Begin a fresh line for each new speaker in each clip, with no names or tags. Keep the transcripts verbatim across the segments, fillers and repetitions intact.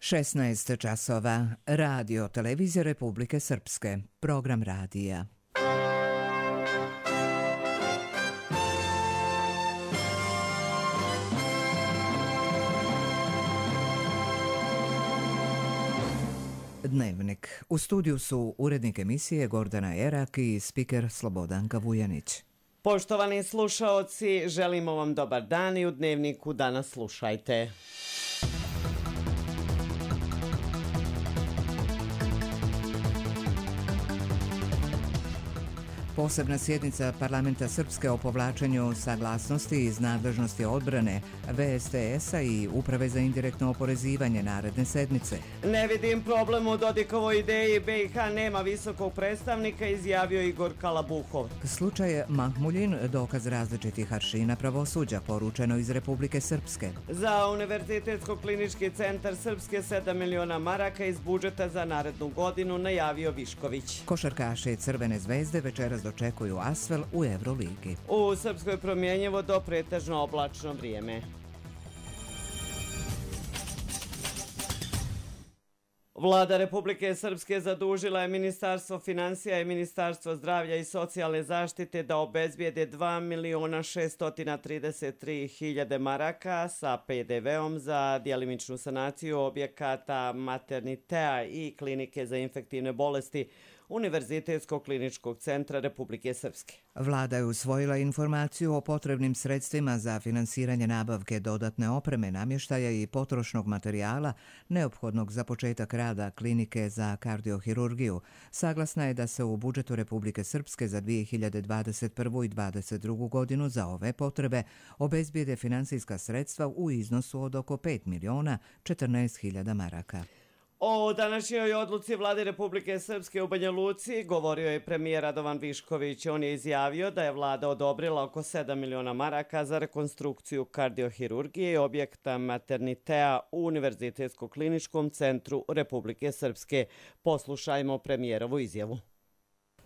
šesnaest časova. Radio Televizija Republike Srpske. Program radija. Dnevnik. U studiju su urednik emisije Gordana Erak i spiker Slobodanka Vujanić.
Poštovani slušaoci, želimo vam dobar dan i u Dnevniku danas slušajte.
Posebna sjednica Parlamenta Srpske o povlačenju saglasnosti iz nadležnosti odbrane V S T S-a i Uprave za indirektno oporezivanje naredne sedmice.
Ne vidim problem u Dodikovoj ideji, B i H nema visokog predstavnika, izjavio Igor Kalabuhov.
Slučaj Mahmuljin, dokaz različitih aršina pravosuđa, poručeno iz Republike Srpske.
Za Univerzitetsko-klinički centar Srpske sedam miliona maraka iz budžeta za narednu godinu, najavio Višković.
Košarkaši Crvene zvezde večeras dočekuju Asvel u Euroligi.
U Srpskoj promjenjivo do pretežno oblačno vrijeme. Vlada Republike Srpske zadužila je Ministarstvo finansija i Ministarstvo zdravlja i socijalne zaštite da obezbijede dva miliona šesto trideset tri hiljade maraka sa P D V-om za djelimičnu sanaciju objekata maternitea i klinike za infektivne bolesti Univerzitetskog kliničkog centra Republike Srpske.
Vlada je usvojila informaciju o potrebnim sredstvima za finansiranje nabavke dodatne opreme, namještaja i potrošnog materijala neophodnog za početak rada klinike za kardiohirurgiju. Saglasna je da se u budžetu Republike Srpske za dvije hiljade dvadeset prvu i dvadeset drugu godinu za ove potrebe obezbijede finansijska sredstva u iznosu od oko pet miliona četrnaest hiljada maraka.
O današnjoj odluci Vlade Republike Srpske u Banja Luci govorio je premijer Radovan Višković. On je izjavio da je vlada odobrila oko sedam miliona maraka za rekonstrukciju kardiohirurgije i objekta maternitea u Univerzitetskom kliničkom centru Republike Srpske. Poslušajmo premijerovu izjavu.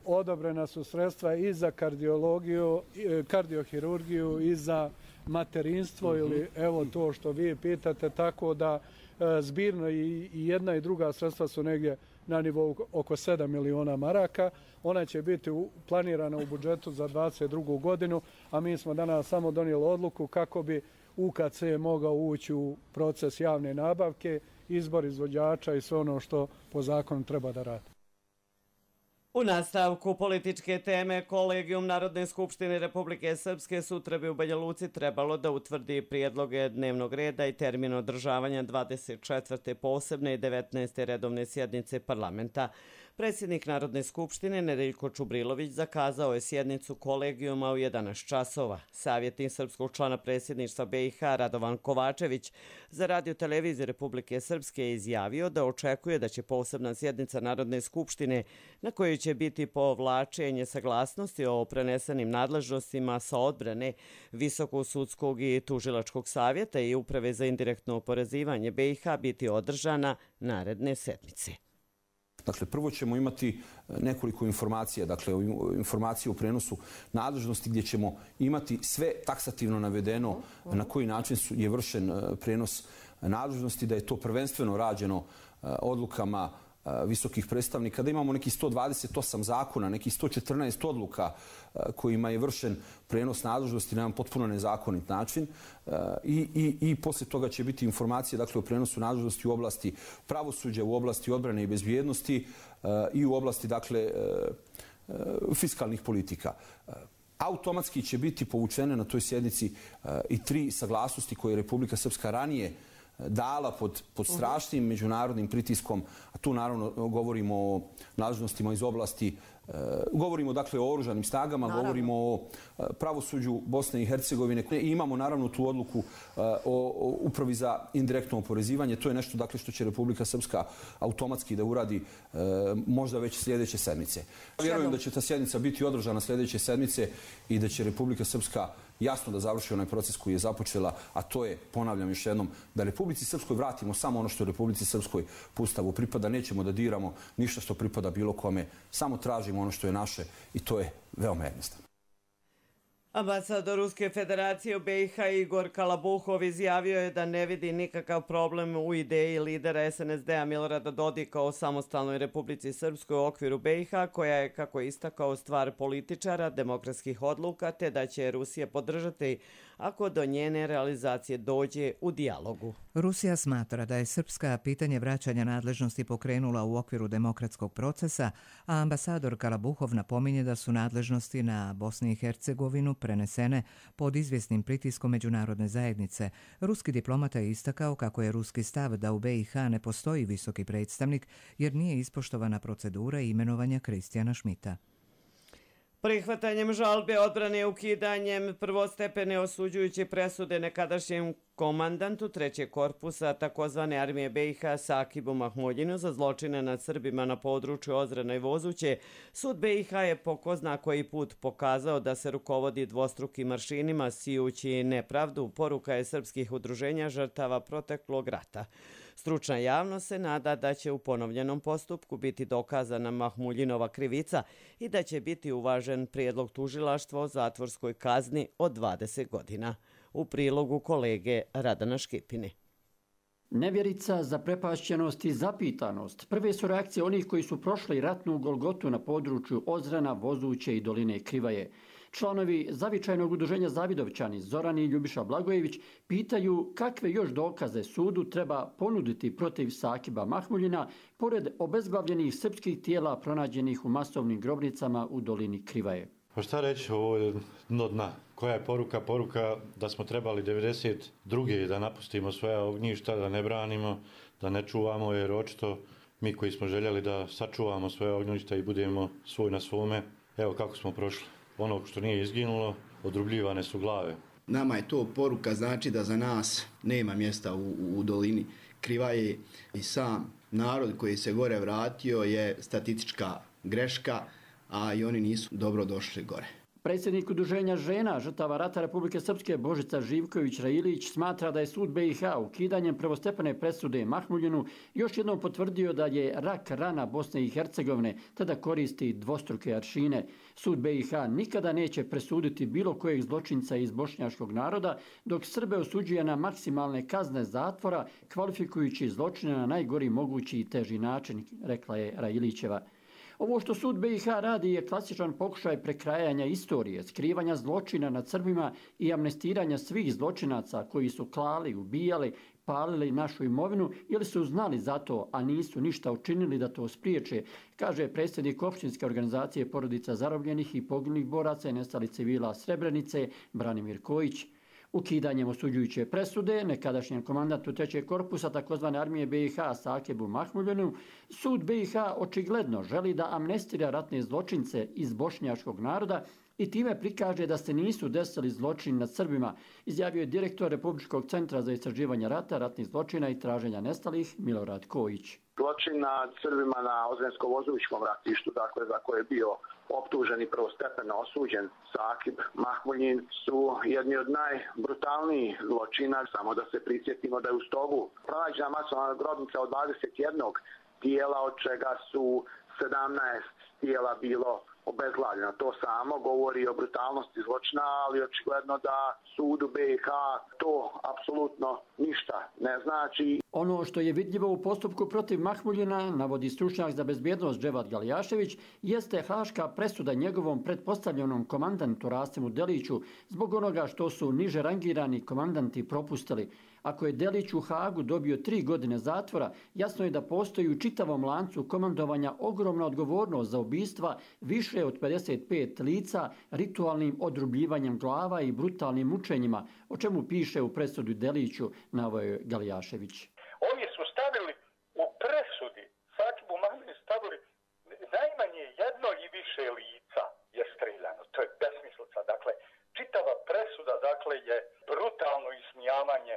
Odobrena su sredstva i za kardiologiju, kardiohirurgiju i za materinstvo ili evo to što vi pitate, tako da zbirno i jedna i druga sredstva su negdje na nivou oko sedam miliona maraka. Ona će biti planirana u budžetu za dvadeset drugu godinu, a mi smo danas samo donijeli odluku kako bi U K C mogao ući u proces javne nabavke, izbor izvođača i sve ono što po zakonu treba da radi.
U nastavku političke teme, Kolegijum Narodne skupštine Republike Srpske sutra bi u Banja Luci trebalo da utvrdi prijedloge dnevnog reda i termin održavanja dvadeset četvrte posebne i devetnaeste redovne sjednice parlamenta. Predsjednik Narodne skupštine Nedeljko Čubrilović zakazao je sjednicu Kolegijuma u jedanaest časova. Savjetnik srpskog člana predsjedništva B i H Radovan Kovačević za Radio Televiziju Republike Srpske je izjavio da očekuje da će posebna sjednica Narodne skupštine na kojoj će biti povlačenje saglasnosti o prenesenim nadležnostima sa odbrane Visokog sudskog i tužilačkog savjeta i Uprave za indirektno oporezivanje B i H biti održana naredne sedmice.
Dakle, prvo ćemo imati nekoliko informacija, dakle, informacije o prenosu nadležnosti gdje ćemo imati sve taksativno navedeno na koji način je vršen prenos nadležnosti, da je to prvenstveno rađeno odlukama visokih predstavnika, da imamo nekih sto dvadeset osam zakona, nekih sto četrnaest odluka kojima je vršen prenos nadležnosti na jedan potpuno nezakonit način i, i, i poslije toga će biti informacije, dakle, o prenosu nadležnosti u oblasti pravosuđa, u oblasti odbrane i bezbjednosti i u oblasti, dakle, fiskalnih politika. Automatski će biti povučene na toj sjednici i tri saglasnosti koje je Republika Srpska ranije dala pod, pod strašnim međunarodnim pritiskom, a tu naravno govorimo o nadležnostima iz oblasti, e, govorimo dakle o oružanim snagama, naravno. Govorimo o pravosuđu Bosne i Hercegovine. I imamo naravno tu odluku e, o, o upravi za indirektno oporezivanje. To je nešto dakle što će Republika Srpska automatski da uradi e, možda već sljedeće sedmice. Vjerujem da će ta sjednica biti održana sljedeće sedmice i da će Republika Srpska jasno da završi onaj proces koji je započela, a to je, ponavljam još jednom, da Republici Srpskoj vratimo samo ono što Republici Srpskoj po Ustavu pripada. Nećemo da diramo ništa što pripada bilo kome. Samo tražimo ono što je naše i to je veoma jednostavno.
Ambasador Ruske federacije u B i H Igor Kalabuhov izjavio je da ne vidi nikakav problem u ideji lidera S N S D-a Milorada Dodika o samostalnoj Republici Srpskoj u okviru B i H, koja je, kako je istakao, stvar političara, demokratskih odluka, te da će Rusija podržati ako do njene realizacije dođe u dijalogu.
Rusija smatra da je Srpska pitanje vraćanja nadležnosti pokrenula u okviru demokratskog procesa, a ambasador Kalabuhov napominje da su nadležnosti na Bosni i Hercegovinu prenesene pod izvjesnim pritiskom međunarodne zajednice. Ruski diplomata je istakao kako je ruski stav da u B i H ne postoji visoki predstavnik jer nije ispoštovana procedura imenovanja Kristijana Šmita.
Prihvatanjem žalbe odbrane i ukidanjem prvostepene osuđujuće presude nekadašnjem komandantu trećeg korpusa takozvane armije B i H Sakibu Mahmuljinu za zločine nad Srbima na području Ozrena i Vozuće, sud B i H je po ko zna koji put pokazao da se rukovodi dvostrukim aršinima sijući nepravdu, poruka je srpskih udruženja žrtava proteklog rata. Stručna javnost se nada da će u ponovljenom postupku biti dokazana Mahmuljinova krivica i da će biti uvažen prijedlog tužilaštva o zatvorskoj kazni od dvadeset godina. U prilogu kolege Radana Škipine.
Nevjerica, zaprepašćenost i zapitanost. Prve su reakcije onih koji su prošli ratnu Golgotu na području Ozrena, Vozuće i doline Krivaje. Članovi zavičajnog udruženja Zavidovićani Zoran i Ljubiša Blagojević pitaju kakve još dokaze sudu treba ponuditi protiv Sakiba Mahmuljina pored obezglavljenih srpskih tijela pronađenih u masovnim grobnicama u dolini Krivaje.
Pa šta reći, ovo je dno dna. Koja je poruka? Poruka da smo trebali devedeset druge da napustimo svoja ognjišta, da ne branimo, da ne čuvamo, jer očito mi koji smo željeli da sačuvamo svoje ognjišta i budemo svoj na svome, evo kako smo prošli. Ono što nije izginulo, odrubljivane su glave.
Nama je to poruka, znači da za nas nema mjesta u, u dolini Krivaje i sam narod koji se gore vratio je statistička greška, a i oni nisu dobro došli gore.
Predsjednik udruženja žena žrtava rata Republike Srpske Božica Živković-Railić smatra da je sud B i H ukidanjem prvostepene presude Mahmuljinu još jednom potvrdio da je rak rana Bosne i Hercegovine te da koristi dvostruke aršine. Sud B i H nikada neće presuditi bilo kojeg zločinca iz bošnjaškog naroda, dok Srbe osuđuje na maksimalne kazne zatvora, kvalifikujući zločine na najgori mogući i teži način, rekla je Railićeva. Ovo što sud B i H radi je klasičan pokušaj prekrajanja istorije, skrivanja zločina nad Srbima i amnestiranja svih zločinaca koji su klali, ubijali, palili našu imovinu ili su znali za to, a nisu ništa učinili da to spriječe, kaže predsjednik opštinske organizacije porodica zarobljenih i poginulih boraca i nestalih civila Srebrenice Branimir Kojić. Ukidanjem osuđujuće presude nekadašnjem komandantu trećeg korpusa takozvane armije B i H Sakibu Mahmuljinu, sud B i H očigledno želi da amnestira ratne zločince iz bošnjaškog naroda i time prikaže da se nisu desili zločini nad Srbima, izjavio je direktor Republičkog centra za istraživanje rata, ratnih zločina i traženja nestalih Milorad Kojić.
Zločin nad Srbima na Ozrensko-Vozućkom ratištu, dakle za koje je bio optužen i prvostepeno osuđen Sakib Mahmuljin, su jedni od najbrutalnijih zločina. Samo da se prisjetimo da je u Stogu pronađena masovna grobnica od dvadeset jednog tijela, od čega su sedamnaest tijela bilo obezglavljeno. To samo govori o brutalnosti zločina, ali očigledno da sudu B i H to apsolutno ništa ne znači.
Ono što je vidljivo u postupku protiv Mahmuljina, navodi stručnjak za bezbjednost Dževad Galijašević, jeste haška presuda njegovom pretpostavljenom komandantu Rasimu Deliću zbog onoga što su niže rangirani komandanti propustili. Ako je Delić u Hagu dobio tri godine zatvora, jasno je da postoji u čitavom lancu komandovanja ogromna odgovornost za ubistva više od pedeset pet lica, ritualnim odrubljivanjem glava i brutalnim mučenjima, o čemu piše u presudi Deliću, naveo Galijašević.
Oni su stavili u presudi, Sakibu Mahmuljinu stavili najmanje jedno i više lica je streljano. To je besmislica. Dakle, čitava presuda dakle, je brutalno ismijavanje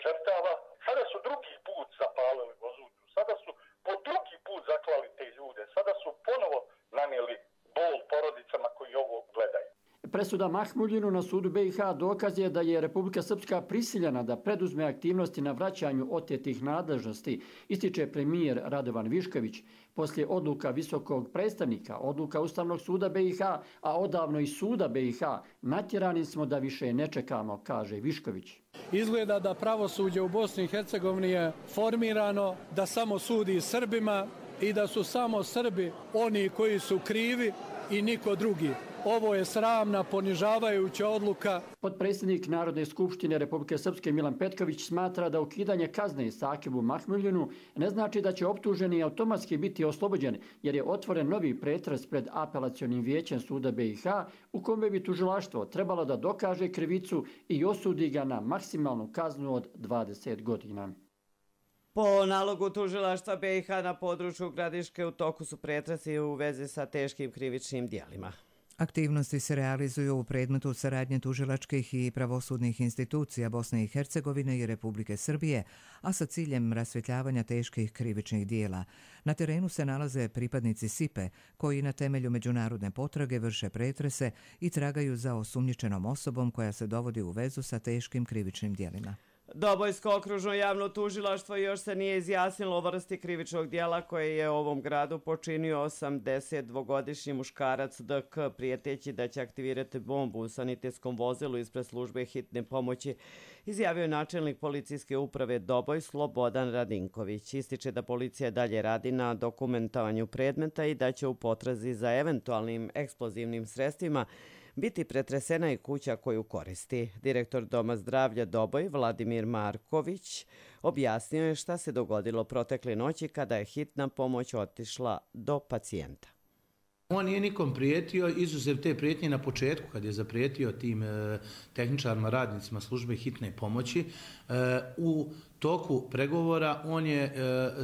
žrtava. Sada su drugi put zapalili Vozuću, sada su po drugi put zaklali te ljude, sada su ponovo nanijeli bol porodicama koji ovo gledaju.
Presuda Mahmuljinu na sudu B i H dokaz je da je Republika Srpska prisiljena da preduzme aktivnosti na vraćanju otetih nadležnosti, ističe premijer Radovan Višković. Poslije odluka visokog predstavnika, odluka Ustavnog suda B i H, a odavno i suda B i H, natjerani smo da više ne čekamo, kaže Višković.
Izgleda da pravosuđe u Bosni i Hercegovini je formirano da samo sudi Srbima i da su samo Srbi oni koji su krivi i niko drugi. Ovo je sramna, ponižavajuća odluka.
Potpredsjednik Narodne skupštine Republike Srpske Milan Petković smatra da ukidanje kazne Sakibu Mahmuljinu ne znači da će optuženi automatski biti oslobođen, jer je otvoren novi pretres pred apelacionim vijećem suda B i H u kome bi tužilaštvo trebalo da dokaže krivicu i osudi ga na maksimalnu kaznu od dvadeset godina.
Po nalogu tužilaštva B i H na području Gradiške u toku su pretresi u vezi sa teškim krivičnim dijelima.
Aktivnosti se realizuju u predmetu saradnje tužilačkih i pravosudnih institucija Bosne i Hercegovine i Republike Srbije, a sa ciljem rasvjetljavanja teških krivičnih dijela. Na terenu se nalaze pripadnici S I P E, koji na temelju međunarodne potrage vrše pretrese i tragaju za osumnjičenom osobom koja se dovodi u vezu sa teškim krivičnim dijelima.
Dobojsko okružno javno tužilaštvo još se nije izjasnilo o vrsti krivičnog dijela koje je u ovom gradu počinio osamdesetdvogodišnji muškarac D K, prijeteći da će aktivirati bombu u sanitetskom vozilu ispred službe hitne pomoći, izjavio je načelnik policijske uprave Doboj Slobodan Radinković. Ističe da policija dalje radi na dokumentovanju predmeta i da će u potrazi za eventualnim eksplozivnim sredstvima biti pretresena i kuća koju koristi. Direktor Doma zdravlja Doboj, Vladimir Marković, objasnio je šta se dogodilo protekle noći kada je hitna pomoć otišla do pacijenta.
On nije nikom prijetio, izuzev te prijetnje na početku kad je zaprijetio tim e, tehničarima, radnicima službe hitne pomoći. E, u toku pregovora on je e,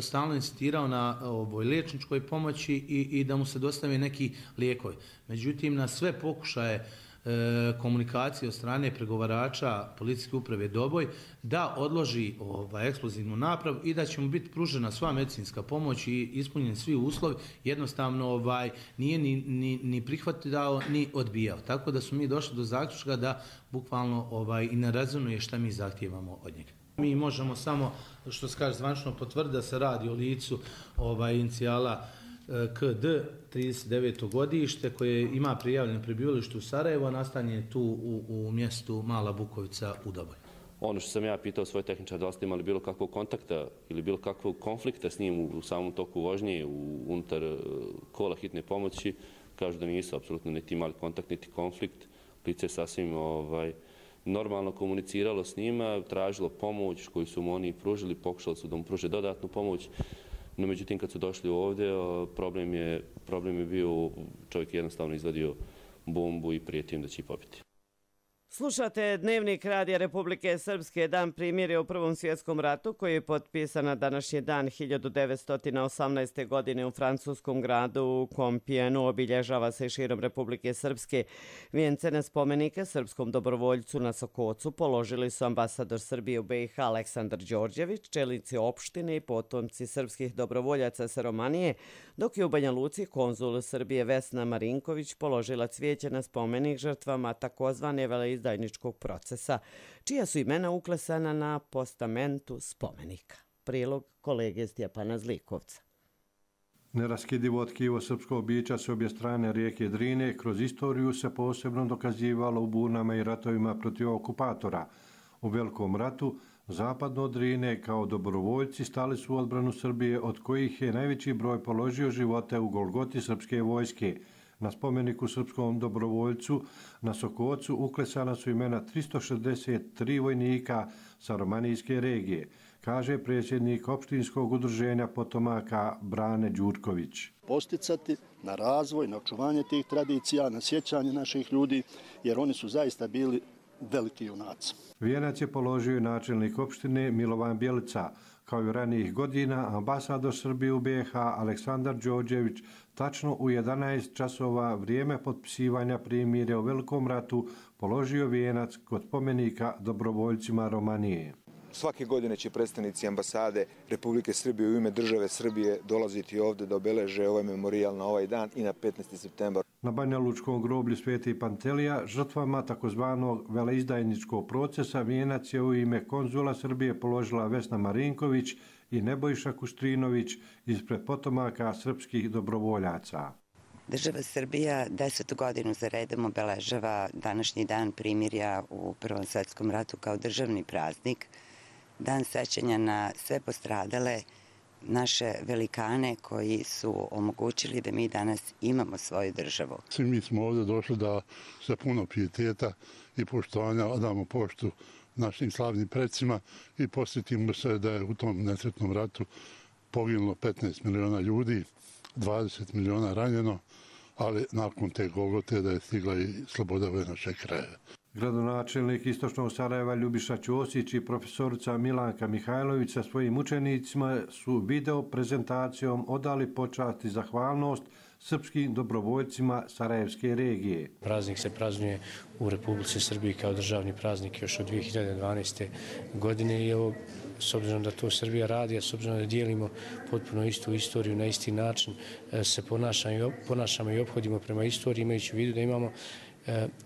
stalno insistirao na ovoj liječničkoj pomoći i, i da mu se dostave neki lijekovi. Međutim, na sve pokušaje komunikacije od strane pregovarača policijske uprave Doboj da odloži ovaj, eksplozivnu napravu i da će mu biti pružena sva medicinska pomoć i ispunjeni svi uslovi, jednostavno ovaj, nije ni, ni, ni prihvatao ni odbijao. Tako da su mi došli do zaključka da bukvalno ovaj, i ne rezonuje šta mi zahtijevamo od njega. Mi možemo samo, što se kaže, zvančno potvrditi da se radi o licu ovaj, inicijala K D, trideset deveto godište, koje ima prijavljeno prebivalište u Sarajevo, a nastanjen je tu u, u mjestu Mala Bukovica u Doboju.
Ono što sam ja pitao svoj tehničar, da li ste imali bilo kakvog kontakta ili bilo kakvog konflikta s njim u samom toku vožnje, u, unutar kola hitne pomoći, kažu da nisu apsolutno niti imali kontakt, niti konflikt. Lice je sasvim ovaj, normalno komuniciralo s njima, tražilo pomoć koju su mu oni pružili, pokušali su da mu pruže dodatnu pomoć. No, međutim, kad su došli ovdje, problem je, problem je bio, čovjek je jednostavno izvadio bombu i prijetio im da će ih pobiti.
Slušate Dnevnik Radija Republike Srpske, dan primirja u Prvom svjetskom ratu, koji je potpisan na današnji dan hiljadu devetsto osamnaeste. godine u francuskom gradu u Kompijenu. Obilježava se širom Republike Srpske. Vijencene spomenike srpskom dobrovoljcu na Sokocu položili su ambasador Srbije u B i H Aleksandar Đorđević, čelnici opštine i potomci srpskih dobrovoljaca sa Romanije, dok je u Banja Luci konzul Srbije Vesna Marinković položila cvijeće na spomenik žrtvama takozvane veleizdajničkog procesa, čija su imena uklesana na postamentu spomenika. Prilog kolege Stjepana Zlikovca.
Neraskidivo tkivo srpskog bića s obje strane rijeke Drine kroz istoriju se posebno dokazivalo u bunama i ratovima protiv okupatora. U Velikom ratu zapadno od Drine kao dobrovoljci stali su u odbranu Srbije, od kojih je najveći broj položio živote u Golgoti srpske vojske. Na spomeniku srpskom dobrovoljcu na Sokocu uklesana su imena tristo šezdeset tri vojnika sa romanijske regije, kaže predsjednik opštinskog udruženja potomaka Brane Đurković.
Posticati na razvoj, na očuvanje tih tradicija, na sjećanje naših ljudi, jer oni su zaista bili veliki junaci.
Vijenac je položio načelnik opštine Milovan Bjelica, kao i ranijih godina ambasador Srbije u B i H Aleksandar Đorđević tačno u jedanaest časova vrijeme potpisivanja primirja u Velikom ratu položio vijenac kod spomenika dobrovoljcima Romanije.
Svake godine će predstavnici ambasade Republike Srbije u ime države Srbije dolaziti ovde da obeleže ovaj memorijal na ovaj dan i na petnaesti septembar.
Na Banja Lučkom groblju Sveti Pantelija žrtvama takozvanog veleizdajničkog procesa vijenac je u ime konzula Srbije položila Vesna Marinković i Nebojša Kuštrinović ispred potomaka srpskih dobrovoljaca.
Država Srbija desetu godinu za redom obeležava današnji dan primirja u Prvom svetskom ratu kao državni praznik, dan sećanja na sve postradale naše velikane koji su omogućili da mi danas imamo svoju državu.
Svi mi smo ovdje došli da sa puno pijeteta i poštovanja odamo poštu našim slavnim predsima i posjetimo se da je u tom nesretnom ratu poginulo petnaest miliona ljudi, dvadeset miliona ranjeno, ali nakon te Golgote da je stigla i sloboda ove naše krajeve.
Gradonačelnik Istočnog Sarajeva Ljubiša Ćosić i profesorica Milanka Mihajlović sa svojim učenicima su video prezentacijom odali počast i zahvalnost srpskim dobrovoljcima Sarajevske regije.
Praznik se praznuje u Republici Srbiji kao državni praznik još od dvije hiljade dvanaeste. godine i evo, s obzirom da to Srbija radi, a s obzirom da dijelimo potpuno istu istoriju na isti način, se ponašamo i ophodimo prema istoriji, imajući u vidu da imamo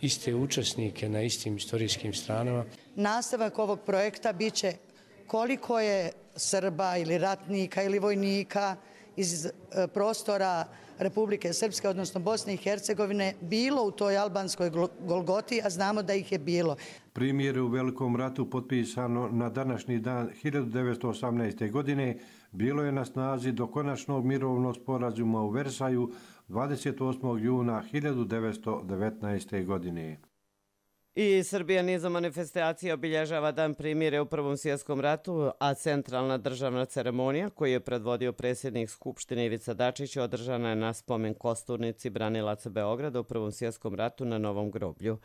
iste učesnike na istim istorijskim stranama.
Nastavak ovog projekta biće koliko je Srba ili ratnika ili vojnika iz prostora Republike Srpske, odnosno Bosne i Hercegovine, bilo u toj albanskoj Golgoti, a znamo da ih je bilo.
Primjer u Velikom ratu potpisano na današnji dan hiljadu devetsto osamnaeste. godine bilo je na snazi do konačnog mirovnog sporazuma u Versaju dvadeset osmog juna hiljadu devetsto devetnaeste. godine.
I Srbija nizom manifestacija obilježava dan primire u Prvom svjetskom ratu, a centralna državna ceremonija koju je predvodio predsjednik Skupštine Ivica Dačić održana je na spomen kosturnici branilaca Beograda u Prvom svjetskom ratu na Novom groblju.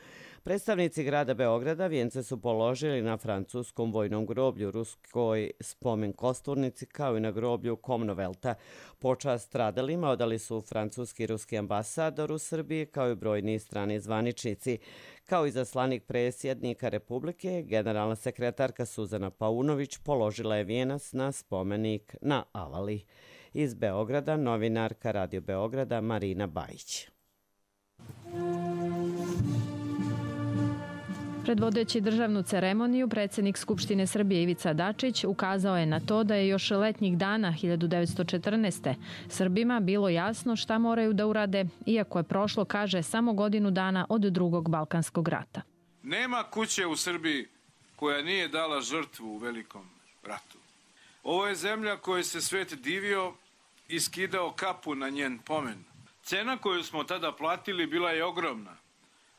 Predstavnici grada Beograda vijence su položili na francuskom vojnom groblju, ruskoj spomen kosturnici kao i na groblju Komnovelta. Počast stradalima odali su francuski i ruski ambasador u Srbiji kao i brojni strani zvaničnici. Kao i zaslanik predsjednika Republike, generalna sekretarka Suzana Paunović položila je vijenac na spomenik na Avali. Iz Beograda, novinarka Radio Beograda Marina Bajić.
Predvodeći državnu ceremoniju, predsjednik Skupštine Srbije Ivica Dačić ukazao je na to da je još letnjih dana hiljadu devetsto četrnaeste. Srbima bilo jasno šta moraju da urade, iako je prošlo, kaže, samo godinu dana od drugog Balkanskog rata.
Nema kuće u Srbiji koja nije dala žrtvu u Velikom ratu. Ovo je zemlja kojoj se svet divio i skidao kapu na njen pomen. Cena koju smo tada platili bila je ogromna.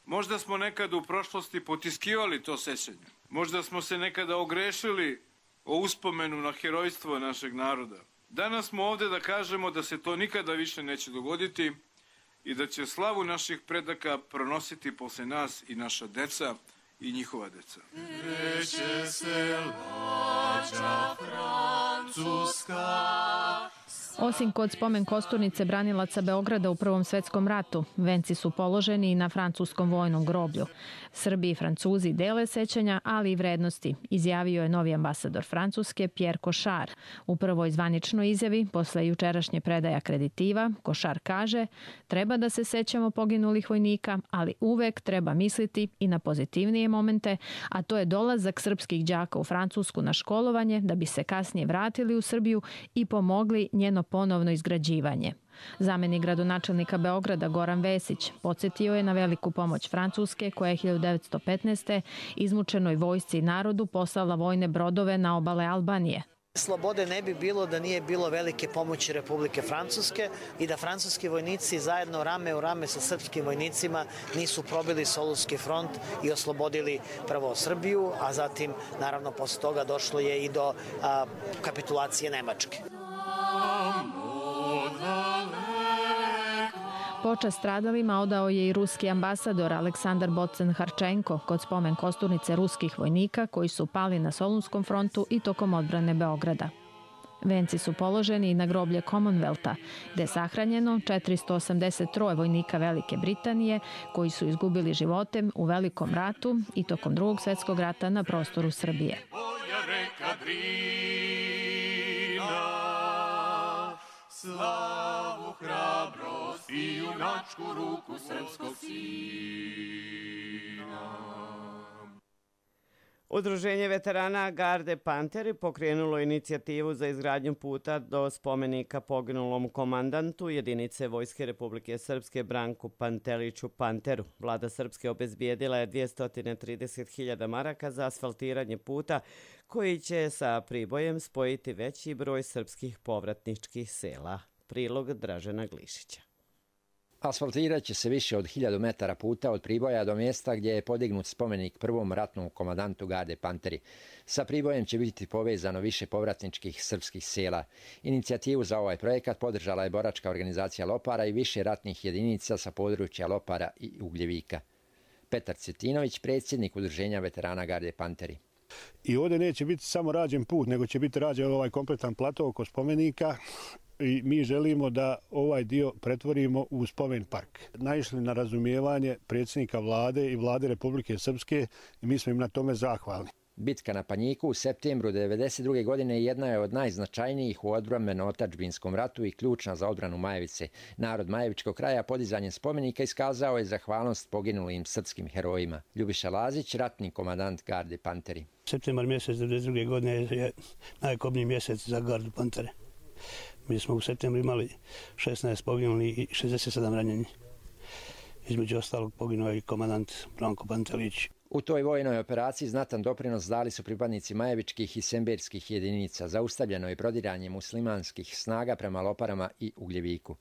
Možda smo nekad u prošlosti potiskivali to sećanje. Možda smo se nekada ogrešili o uspomenu na herojstvo našeg naroda. Danas smo ovdje da kažemo da se to nikada više neće dogoditi i da će slavu naših predaka pronositi posle nas i naša deca i njihova deca.
Neće se lađa Francuska.
Osim kod spomen kosturnice branilaca Beograda u Prvom svjetskom ratu, venci su položeni i na francuskom vojnom groblju. Srbi i Francuzi dele sećanja, ali i vrednosti, izjavio je novi ambasador Francuske Pierre Cochard. U prvoj zvaničnoj izjavi, posle jučerašnje predaje akreditiva, Cochard kaže: treba da se sećamo poginulih vojnika, ali uvek treba misliti i na pozitivnije momente, a to je dolazak srpskih đaka u Francusku na školovanje da bi se kasnije vratili u Srbiju i pomogli njeno ponovno izgrađivanje. Zamenik gradonačelnika Beograda Goran Vesić podsjetio je na veliku pomoć Francuske koja je hiljadu devetsto petnaeste. izmučenoj vojsci i narodu poslala vojne brodove na obale Albanije.
Slobode ne bi bilo da nije bilo velike pomoći Republike Francuske i da francuski vojnici zajedno rame u rame sa srpskim vojnicima nisu probili Solunski front i oslobodili prvo Srbiju, a zatim naravno posle toga došlo je i do a, kapitulacije Nemačke.
Počast stradalima odao je i ruski ambasador Aleksandar Bocen-Harčenko kod spomen kosturnice ruskih vojnika koji su pali na Solunskom frontu i tokom odbrane Beograda. Venci su položeni i na groblje Commonwealtha, gde je sahranjeno četiristo osamdeset tri vojnika Velike Britanije koji su izgubili živote u Velikom ratu i tokom Drugog svjetskog rata na prostoru Srbije.
Drina, slavu, hrabrost i junačku ruku srpskog sina.
Udruženje veterana Garde Panteri pokrenulo inicijativu za izgradnju puta do spomenika poginulom komandantu jedinice Vojske Republike Srpske Branku Panteliću Panteru. Vlada Srpske obezbijedila je dvjesto trideset hiljada maraka za asfaltiranje puta koji će sa Pribojem spojiti veći broj srpskih povratničkih sela. Prilog Dražena Glišića.
Asfaltirat će se više od hiljadu metara puta od Priboja do mjesta gdje je podignut spomenik prvom ratnom komandantu Garde Panteri. Sa Pribojem će biti povezano više povratničkih srpskih sela. Inicijativu za ovaj projekat podržala je boračka organizacija Lopara i više ratnih jedinica sa područja Lopara i Ugljevika. Petar Cetinović, predsjednik Udruženja veterana Garde Panteri.
I ovdje neće biti samo rađen put, nego će biti rađen ovaj kompletan plato oko spomenika. I mi želimo da ovaj dio pretvorimo u spomen park. Naišli na razumijevanje predsjednika vlade i vlade Republike Srpske i mi smo im na tome zahvalni.
Bitka na Panjiku u septembru devedeset druge godine jedna je od najznačajnijih u odbrambeno-otadžbinskom ratu i ključna za odbranu Majevice. Narod Majevičkog kraja podizanjem spomenika iskazao je zahvalnost poginulim srpskim herojima. Ljubiša Lazić, ratni komandant Garde Panteri.
Septembar mjesec devedeset druge godine je najkobniji mjesec za Gardu Pantere. Mi smo u septembru imali šesnaest poginuli i šezdeset sedam ranjeni. Između ostalog poginuo je i komandant Branko Pantelić.
U toj vojnoj operaciji znatan doprinos dali su pripadnici majevičkih i semberskih jedinica. Zaustavljeno je prodiranje muslimanskih snaga prema Loparama i Ugljeviku.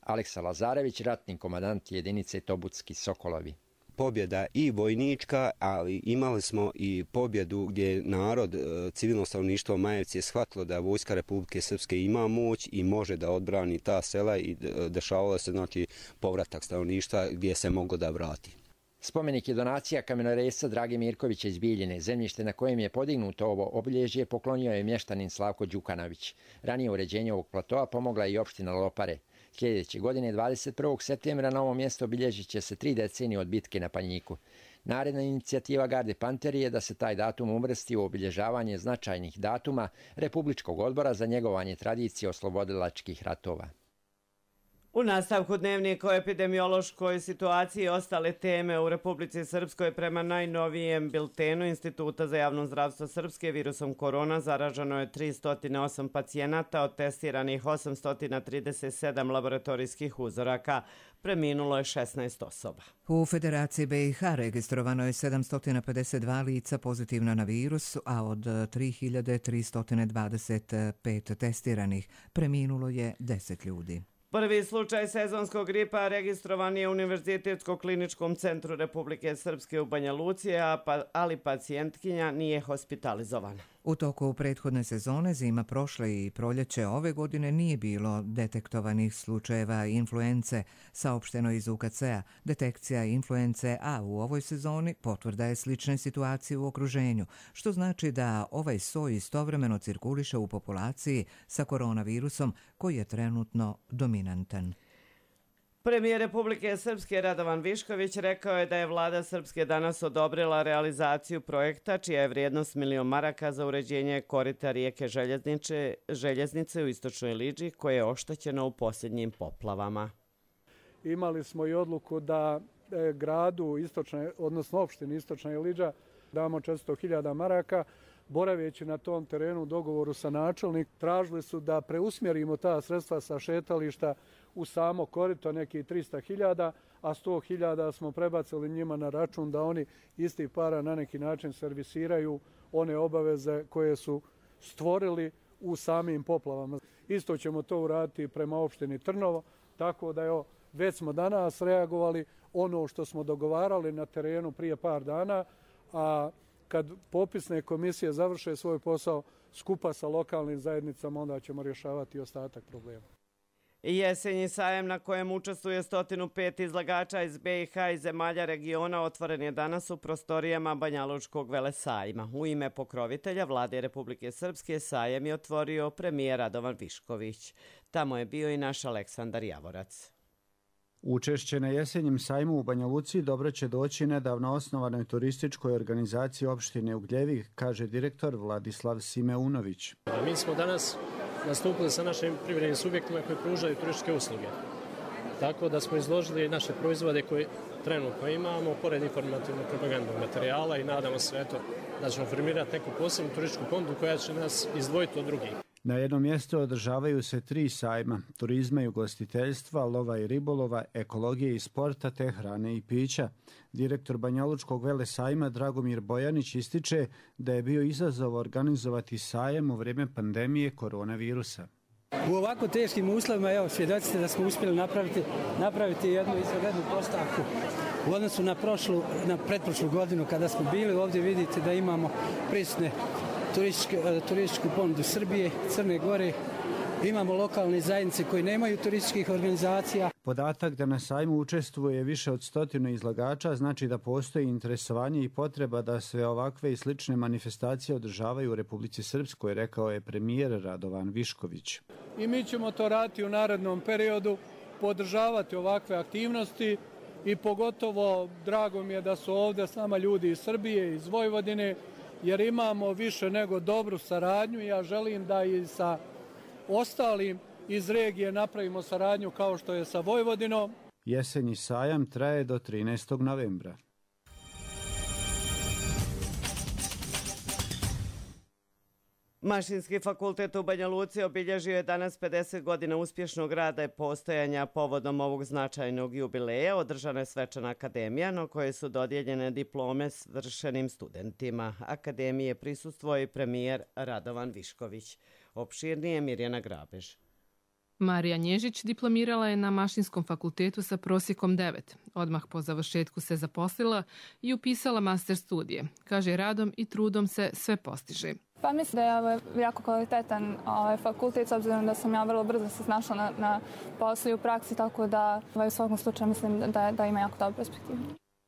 Aleksa Lazarević, ratni komandant jedinice Tobutski Sokolovi.
Pobjeda i vojnička, ali imali smo i pobjedu gdje narod, civilno stanovništvo Majevci je shvatilo da Vojska Republike Srpske ima moć i može da odbrani ta sela i dešavalo se znači povratak stanovništva gdje se moglo da vrati.
Spomenik je donacija kamenoresca Drage Mirkovića iz Bijeljine. Zemljište na kojem je podignuto ovo obilježje poklonio je mještanin Slavko Đukanović. Ranije uređenje ovog platoa pomogla je i opština Lopare. Sljedeće godine, dvadeset prvog septembra, na ovo mjesto obilježit će se tri decenije od bitke na Panjiku. Naredna inicijativa Garde Panteri je da se taj datum uvrsti u obilježavanje značajnih datuma Republičkog odbora za njegovanje tradicije oslobodilačkih ratova.
U nastavku dnevnika o epidemiološkoj situaciji i ostale teme u Republici Srpskoj prema najnovijem biltenu Instituta za javno zdravstvo Srpske virusom korona zaraženo je tristo osam pacijenata od testiranih osamsto trideset sedam laboratorijskih uzoraka. Preminulo je šesnaest osoba.
U Federaciji B i H registrovano je sedamsto pedeset dva lica pozitivna na virus, a od tri hiljade tristo dvadeset pet testiranih preminulo je deset ljudi.
Prvi slučaj sezonskog gripa registrovan je u Univerzitetsko-kliničkom centru Republike Srpske u Banja Luci, ali pacijentkinja nije hospitalizovana.
U toku prethodne sezone, zima prošle i proljeće ove godine, nije bilo detektovanih slučajeva influence, saopšteno iz U K C-a. Detekcija influence A u ovoj sezoni potvrda je slične situacije u okruženju, što znači da ovaj soj istovremeno cirkuliše u populaciji sa koronavirusom koji je trenutno dominantan.
Premijer Republike Srpske Radovan Višković rekao je da je vlada Srpske danas odobrila realizaciju projekta čija je vrijednost milion maraka za uređenje korita rijeke Željeznice, željeznice u istočnoj Liđi koje je oštećeno u posljednjim poplavama.
Imali smo i odluku da gradu, istočne, odnosno opštini Istočna Liđa, damo četiristo hiljada maraka. Boraveći na tom terenu u dogovoru sa načelnik, tražili su da preusmjerimo ta sredstva sa šetališta u samo korito, neki tristo hiljada, a sto hiljada smo prebacili njima na račun da oni isti para na neki način servisiraju one obaveze koje su stvorili u samim poplavama. Isto ćemo to uraditi prema opštini Trnovo, tako da evo, već smo danas reagovali ono što smo dogovarali na terenu prije par dana, a kad popisne komisije završe svoj posao skupa sa lokalnim zajednicama, onda ćemo rješavati ostatak problema.
Jesenji sajem na kojem učestvuje sto pet izlagača iz B i H i zemalja regiona otvoren je danas u prostorijama Banjalučkog velesajma. U ime pokrovitelja vlade Republike Srpske sajem je otvorio premijer Radovan Višković. Tamo je bio i naš Aleksandar Javorac.
Učešće na jesenjem sajmu u Banja Luci dobro će doći nedavno osnovanoj turističkoj organizaciji opštine Ugljevik, kaže direktor Vladislav Simeunović.
Mi smo danas nastupili sa našim privrednim subjektima koji pružaju turističke usluge. Tako da smo izložili naše proizvode koje trenutno imamo, pored informativnog propagandnog materijala i nadamo se eto, da ćemo formirati neku posebnu turističku ponudu koja će nas izdvojiti od drugih.
Na jednom mjestu održavaju se tri sajma, turizma i ugostiteljstva, lova i ribolova, ekologije i sporta te hrane i pića. Direktor Banjalučkog vele sajma Dragomir Bojanić ističe da je bio izazov organizovati sajam u vrijeme pandemije koronavirusa.
U ovako teškim uslovima, evo, svjedoci ste da smo uspjeli napraviti, napraviti jednu izvanrednu postavku. U odnosu na prošlu, na pretprošlu godinu kada smo bili, ovdje vidite da imamo prisutne turističku ponudu Srbije, Crne Gore, imamo lokalne zajednice koji nemaju turističkih organizacija.
Podatak da na sajmu učestvuje više od stotinu izlagača znači da postoji interesovanje i potreba da se ovakve i slične manifestacije održavaju u Republici Srpskoj, rekao je premijer Radovan Višković.
I mi ćemo to raditi u narednom periodu, podržavati ovakve aktivnosti i pogotovo drago mi je da su ovdje s nama ljudi iz Srbije, iz Vojvodine, jer imamo više nego dobru saradnju. Ja želim da i sa ostalim iz regije napravimo saradnju kao što je sa Vojvodinom.
Jesenji sajam traje do trinaestog novembra.
Mašinski fakultet u Banja Luci obilježio je danas pedeset godina uspješnog rada i postojanja. Povodom ovog značajnog jubileja održana je svečana akademija na kojoj su dodijeljene diplome svršenim studentima. Akademije prisustvovao i premijer Radovan Višković. Opširnije Mirjana Grabež.
Marija Nježić diplomirala je na Mašinskom fakultetu sa prosjekom devet. Odmah po završetku se zaposlila i upisala master studije. Kaže, radom i trudom se sve postiže.
Pa mislim da je ovo jako kvalitetan ovaj, fakultet, s obzirom da sam ja vrlo brzo se snašla na, na poslu i u praksi, tako da ovaj, u svakom slučaju mislim da, da ima jako dobru perspektivu.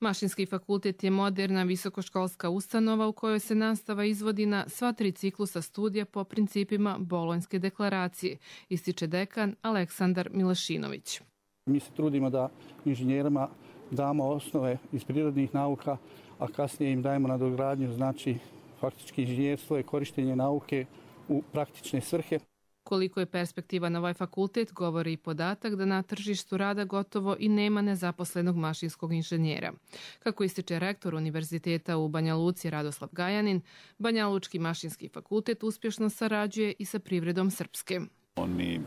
Mašinski fakultet je moderna visokoškolska ustanova u kojoj se nastava izvodi na sva tri ciklusa studija po principima Bolonjske deklaracije, ističe dekan Aleksandar Milašinović.
Mi se trudimo da inženjerima damo osnove iz prirodnih nauka, a kasnije im dajemo nadogradnju, znači faktički inženjerstvo je korištenje nauke u praktične svrhe.
Koliko je perspektiva na ovaj fakultet govori i podatak da na tržištu rada gotovo i nema nezaposlenog mašinskog inženjera. Kako ističe rektor Univerziteta u Banja Luci Radoslav Gajanin, Banja Lučki mašinski fakultet uspješno sarađuje i sa privredom Srpske.
Oni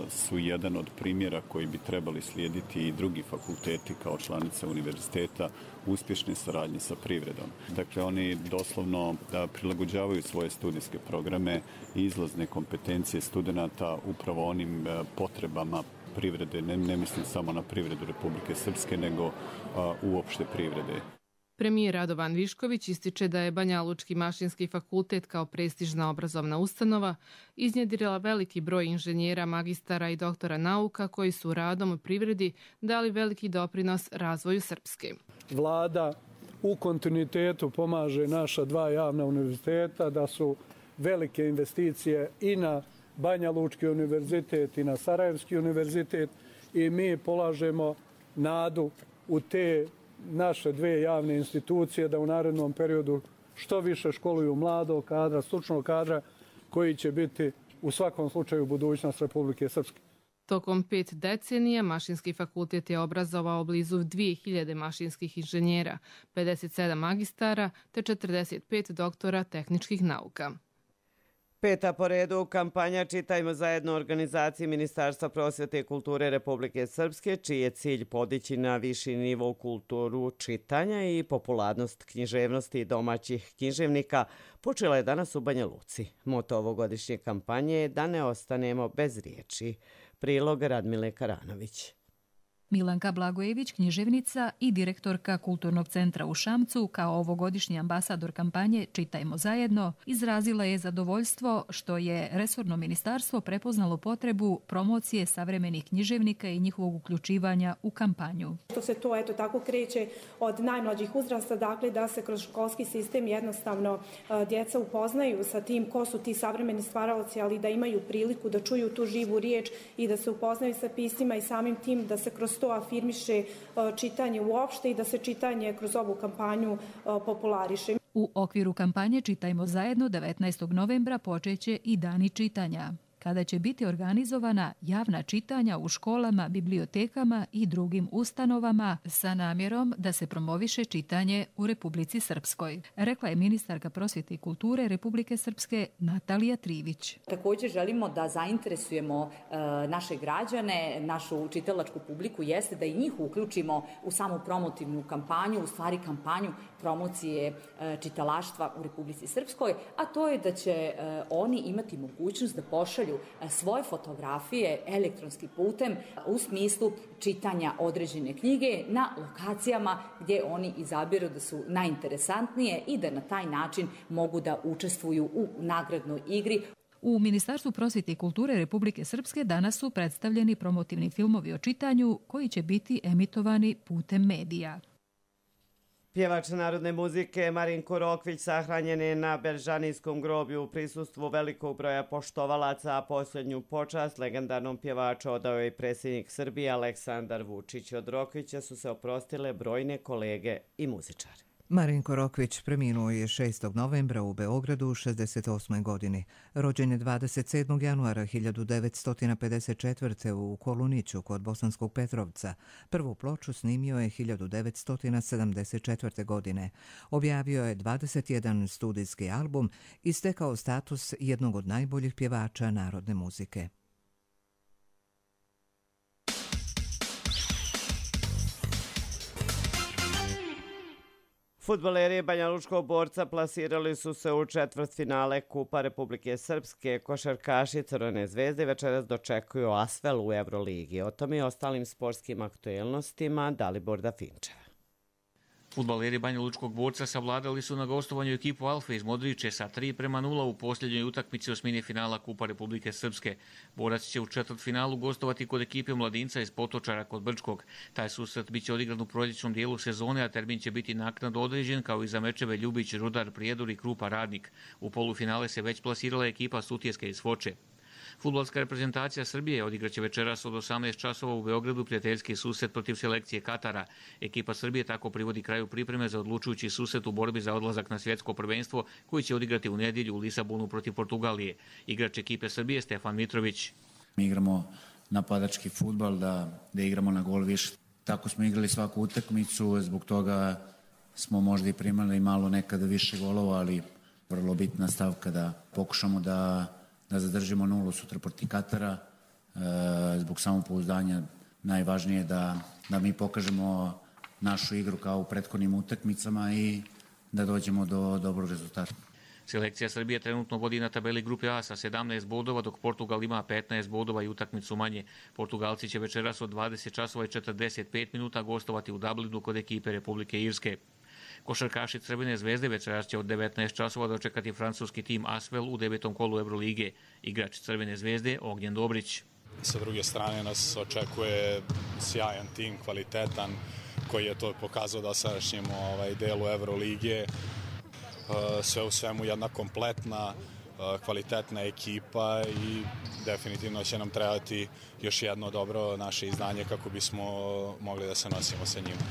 su jedan od primjera koji bi trebali slijediti i drugi fakulteti kao članica univerziteta uspješne saradnje sa privredom. Dakle, oni doslovno prilagođavaju svoje studijske programe i izlazne kompetencije studenata upravo onim potrebama privrede. Ne, ne mislim samo na privredu Republike Srpske, nego a, uopšte privrede.
Premijer Radovan Višković ističe da je Banja Lučki mašinski fakultet kao prestižna obrazovna ustanova iznjedrila veliki broj inženjera, magistara i doktora nauka koji su radom u privredi dali veliki doprinos razvoju Srpske.
Vlada u kontinuitetu pomaže naša dva javna univerziteta, da su velike investicije i na Banja Lučki univerzitet i na Sarajevski univerzitet i mi polažemo nadu u te naše dve javne institucije da u narednom periodu što više školuju mladog kadra, stručnog kadra koji će biti u svakom slučaju budućnost Republike Srpske.
Tokom pet decenija Mašinski fakultet je obrazovao blizu dvije hiljade mašinskih inženjera, pedeset sedam magistara te četrdeset pet doktora tehničkih nauka.
Peta po redu kampanja Čitajmo zajedno organizaciji Ministarstva prosvjete i kulture Republike Srpske, čiji je cilj podići na viši nivo kulturu čitanja i popularnost književnosti domaćih književnika, počela je danas u Banja Luci. Moto ovogodišnje kampanje je da ne ostanemo bez riječi. Prilog Radmile Karanović.
Milanka Blagojević, književnica i direktorka Kulturnog centra u Šamcu, kao ovogodišnji ambasador kampanje Čitajmo zajedno, izrazila je zadovoljstvo što je resorno ministarstvo prepoznalo potrebu promocije savremenih književnika i njihovog uključivanja u kampanju.
Što se to eto tako kreće od najmlađih uzrasta, dakle da se kroz školski sistem jednostavno djeca upoznaju sa tim ko su ti savremeni stvaraoci, ali da imaju priliku da čuju tu živu riječ i da se upoznaju sa pismima i samim tim da se kroz kroz to afirmiše čitanje uopšte i da se čitanje kroz ovu kampanju populariše.
U okviru kampanje Čitajmo zajedno devetnaestog novembra počeće i dani čitanja, kada će biti organizovana javna čitanja u školama, bibliotekama i drugim ustanovama sa namjerom da se promoviše čitanje u Republici Srpskoj, rekla je ministarka prosvjete i kulture Republike Srpske Natalija Trivić.
Također želimo da zainteresujemo e, naše građane, našu čitalačku publiku, jeste da i njih uključimo u samu promotivnu kampanju, u stvari kampanju promocije e, čitalaštva u Republici Srpskoj, a to je da će e, oni imati mogućnost da pošalju svoje fotografije elektronskim putem u smislu čitanja određene knjige na lokacijama gdje oni izabiru da su najinteresantnije i da na taj način mogu da učestvuju u nagradnoj igri.
U Ministarstvu prosvjete i kulture Republike Srpske danas su predstavljeni promotivni filmovi o čitanju koji će biti emitovani putem medija.
Pjevač narodne muzike Marinko Rokvić sahranjen je na Bežanijskom groblju u prisustvu velikog broja poštovalaca, a posljednju počast legendarnom pjevaču odao je i predsjednik Srbije Aleksandar Vučić. Od Rokvića su se oprostile brojne kolege i muzičari.
Marinko Rokvić preminuo je šestog novembra u Beogradu u šezdeset osmoj godini. Rođen je dvadeset sedmog januara hiljadu devetsto pedeset četvrte. u Koluniću kod Bosanskog Petrovca. Prvu ploču snimio je hiljadu devetsto sedamdeset četvrte. godine. Objavio je dvadeset jedan studijski album i stekao status jednog od najboljih pjevača narodne muzike.
Fudbaleri Banja Lučkog Borca plasirali su se u četvrtfinale Kupa Republike Srpske. Košarkaši Crvene zvezde večeras dočekuju Asvel u Euroligi. O tome i ostalim sportskim aktuelnostima Dalibor Dafinčeva.
Fudbaleri Banja Lučkog Borca savladali su na gostovanju ekipu Alfe iz Modriče sa tri prema nula u posljednjoj utakmici osmini finala Kupa Republike Srpske. Borac će u četvrtfinalu gostovati kod ekipe Mladinca iz Potočara kod Brčkog. Taj susret biće odigran u proljećnom dijelu sezone, a termin će biti naknadno određen kao i za mečeve Ljubić, Rudar, Prijedor i Krupa Radnik. U polufinale se već plasirala ekipa Sutjeske iz Foče. Fudbalska reprezentacija Srbije odigraće večeras od osamnaest časova u Beogradu prijateljski susret protiv selekcije Katara. Ekipa Srbije tako privodi kraju pripreme za odlučujući susret u borbi za odlazak na svjetsko prvenstvo koji će odigrati u nedjelju u Lisabonu protiv Portugalije. Igrač ekipe Srbije Stefan Mitrović.
Mi igramo napadački fudbal, da, da igramo na gol više. Tako smo igrali svaku utakmicu, zbog toga smo možda i primali malo nekada više golova, ali vrlo bitna stavka da pokušamo da da zadržimo nulu sutra protiv Katara. E, zbog samopouzdanja najvažnije je da, da mi pokažemo našu igru kao u prethodnim utakmicama i da dođemo do dobrog rezultata.
Selekcija Srbije trenutno vodi na tabeli grupe A sa sedamnaest bodova, dok Portugal ima petnaest bodova i utakmicu manje. Portugalci će večeras od dvadeset časova i četrdeset pet minuta gostovati u Dublinu kod ekipe Republike Irske. Košarkaši Crvene zvezde večeras će od devetnaest časova dočekati francuski tim Asvel u devetom kolu Euroligije. Igrač Crvene zvezde Ognjen Dobrić.
Sa druge strane nas očekuje sjajan tim, kvalitetan, koji je to pokazao da sadašnjem ovaj, delu Euroligije. Sve u svemu jedna kompletna, kvalitetna ekipa i definitivno će nam trebati još jedno dobro naše izdanje kako bismo mogli da se nosimo sa njima.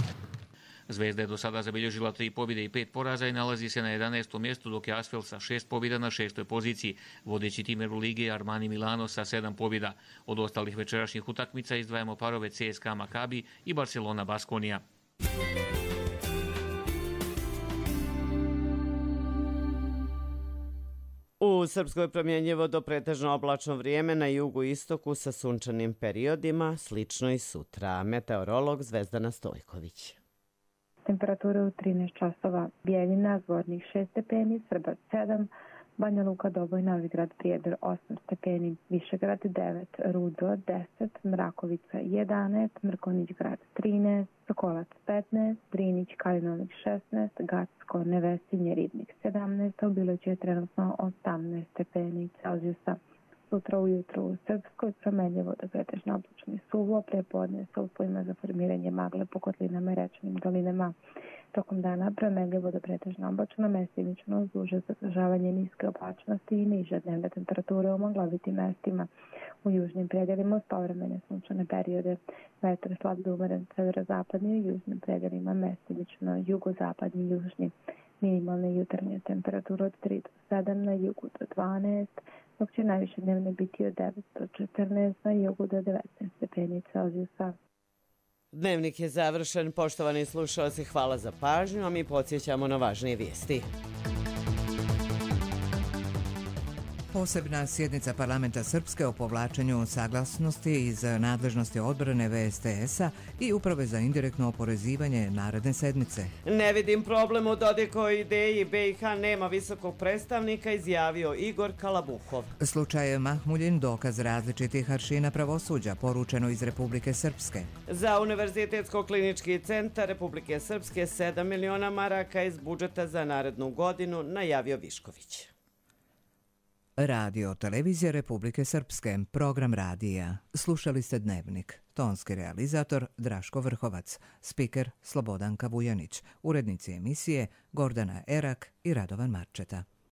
Zvezda je do sada zabilježila tri pobjede i pet poraza i nalazi se na jedanaestom mjestu, dok je Asvel sa šest pobjeda na šestoj poziciji. Vodeći tim Eurolige je Armani Milano sa sedam pobjeda. Od ostalih večerašnjih utakmica izdvajamo parove C S K A Makabi i Barcelona Baskonija.
U Srpskoj promjenjivo do pretežno oblačno vrijeme, na jugu i istoku sa sunčanim periodima, slično i sutra. Meteorolog Zvezdana Stojković.
Temperatura u trinaest časova, Bijeljina, Zvornik šest stepeni, Srbac sedam, Banja Luka, Doboj, Novigrad, Prijedor osam stepeni, Višegrad devet, Rudo deset, Mrakovica jedanaest, Mrkonjić Grad trinaest, Sokolac petnaest, Drinić, Kalinovik šesnaest, Gacko, Nevesinje, Ribnik sedamnaest, u Biloću je trenutno osamnaest stepeni Celzijusa. Sutra ujutro u Srpskoj promenljivo do pretežno oblačno i suvo, prepodne sa uslovima za formiranje magle po kotlinama i rečnim dolinama. Tokom dana promenljivo do pretežno oblačno, mestimično uz duže zadržavanje niske oblačnosti i niže dnevne temperature u maglovitim mestima. U južnim predjelima uz povremene sunčane periode. Vetar slab do umeren severozapadni u južnim predjelima, mestimično jugozapadni i južni. Minimalne jutarnje temperature od tri do sedam, na jugu do dvanaest, dok će najviše dnevne biti od devet do četrnaest, na jugu do devetnaest stepeni Celzijusa.
Dnevnik je završen. Poštovani slušalci, hvala za pažnju, a mi podsjećamo na važnije vijesti.
Posebna sjednica parlamenta Srpske o povlačenju saglasnosti iz nadležnosti odbrane V S T S-a i Uprave za indirektno oporezivanje naredne sedmice.
Ne vidim problem u Dodikoj ideji, B i H nema visokog predstavnika, izjavio Igor Kalabukov.
Slučaj Mahmuljin dokaz različitih aršina pravosuđa, poručeno iz Republike Srpske.
Za Univerzitetsko-klinički centar Republike Srpske sedam miliona maraka iz budžeta za narednu godinu, najavio Višković.
Radio Televizija Republike Srpske, program radija. Slušali ste Dnevnik. Tonski realizator Draško Vrhovac, spiker Slobodanka Vujanić, urednici emisije Gordana Erak i Radovan Marčeta.